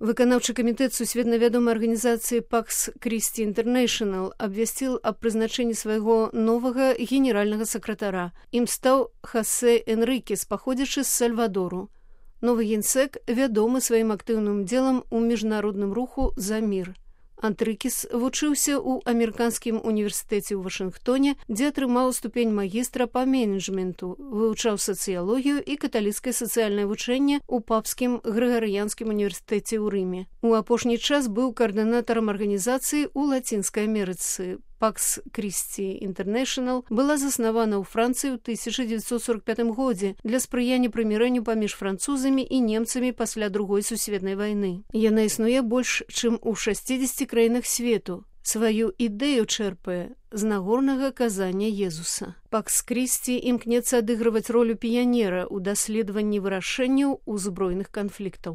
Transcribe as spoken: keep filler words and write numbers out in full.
Выканаўчы камітэт сусветна вядомай арганізацыі Пакс Крісці Інтэрнэйшнл абвясціў аб прызначэнні свайго новага генеральнага сакратара. Ім стаў Хосе Энрікес, паходзячы з Сальвадору. Новы генсек вядомы сваім актыўным удзелам у міжнародным руху за мір. Энрікес вучыўся ў амерыканскім універсітэце ў Вашынгтоне, дзе атрымаў ступень магістра па менеджменту, вывучаў сацыялогію і каталіцкае сацыяльнае вучэнне ў папскім грыгарыянскім універсітэце ў Рыме. У апошні час быў каардынатарам арганізацыі ў Лацінскай Амерыцы. Пакс Крісці Інтэрнэйшнл была заснавана ў Францыі ў тысяча дзевяцьсот сорок пятым годзе для спрыяння прымірэнню паміж французамі і немцамі пасля другой сусветнай вайны. Яна існуе больш, чым у шасцідзесяці краінах свету. Сваю ідэю чэрпае з нагорнага казання Езуса. Пакс Крісці імкнецца адыгрываць ролю піянера ў даследаванні вырашэнняў узброеных канфліктаў.